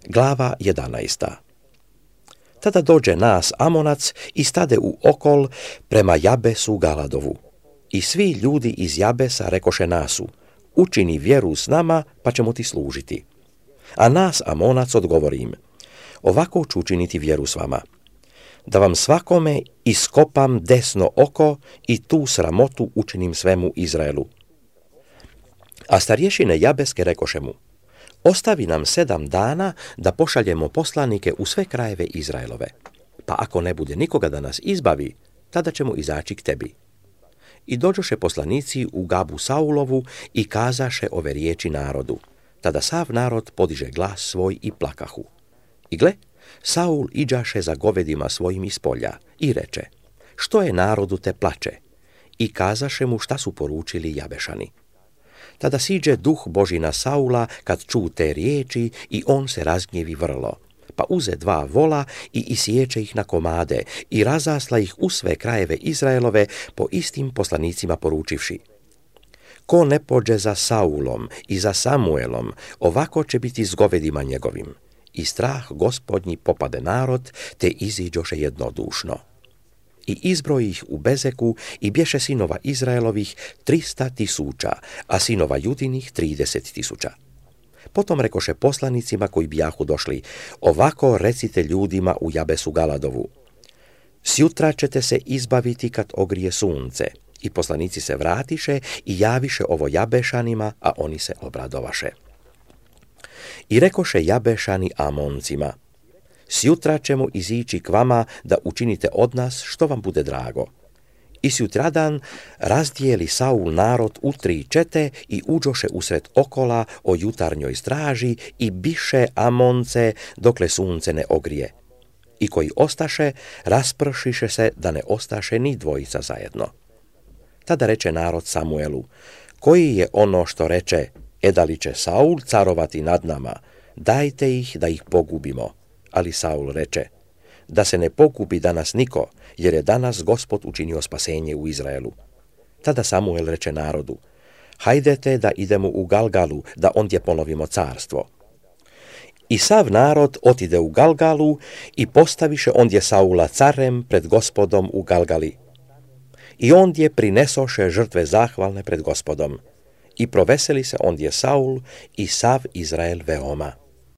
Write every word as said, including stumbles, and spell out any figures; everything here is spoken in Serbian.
Glava jedanaesta. Tada dođe Naas Amonac i stade u okol prema Jabesu Galadovu. I svi ljudi iz Jabesa rekoše Naasu: učini vjeru s nama, pa ćemo ti služiti. A Naas Amonac odgovori im: ovako ću učiniti vjeru s vama, da vam svakome iskopam desno oko i tu sramotu učinim svemu Izraelu. A starješine Jabeske rekoše mu: ostavi nam sedam dana da pošaljemo poslanike u sve krajeve Izraelove, pa ako ne bude nikoga da nas izbavi, tada ćemo izaći k tebi. I dođoše poslanici u Gabu Saulovu i kazaše ove riječi narodu. Tada sav narod podiže glas svoj i plakahu. I gle, Saul iđaše za govedima svojim iz polja i reče: što je narodu te plače? I kazaše mu šta su poručili Jabešani. Tada siđe duh Božji na Saula kad ču te riječi i on se razgnjevi vrlo, pa uze dva vola i isječe ih na komade i razasla ih u sve krajeve Izraelove po istim poslanicima poručivši: ko ne pođe za Saulom i za Samuelom, ovako će biti s govedima njegovim. I strah Gospodnji popade narod, te iziđoše jednodušno. I izbroji ih u Bezeku i bješe sinova Izraelovih trista tisuća, a sinova Judinih trideset tisuća. Potom rekoše poslanicima koji bijahu došli: ovako recite ljudima u Jabesu Galadovu: sjutra ćete se izbaviti kad ogrije sunce. I poslanici se vratiše i javiše ovo Jabešanima, a oni se obradovaše. I rekoše Jabešani Amoncima: sjutra ćemo izići k vama da učinite od nas što vam bude drago. I sjutradan razdijeli Saul narod u tri čete i uđoše usred okola o jutarnjoj straži i biše Amonce dokle sunce ne ogrije. I koji ostaše, raspršiše se da ne ostaše ni dvojica zajedno. Tada reče narod Samuelu: koji je ono što reče: edali će Saul carovati nad nama, dajte ih da ih pogubimo. Ali Saul reče: da se ne pokupi danas niko, jer je danas Gospod učinio spasenje u Izraelu. Tada Samuel reče narodu: hajdete da idemo u Galgalu, da ondje ponovimo carstvo. I sav narod otide u Galgalu i postaviše ondje Saula carem pred Gospodom u Galgali. I ondje prinesoše žrtve zahvalne pred Gospodom. I proveseli se ondje Saul i sav Izrael veoma.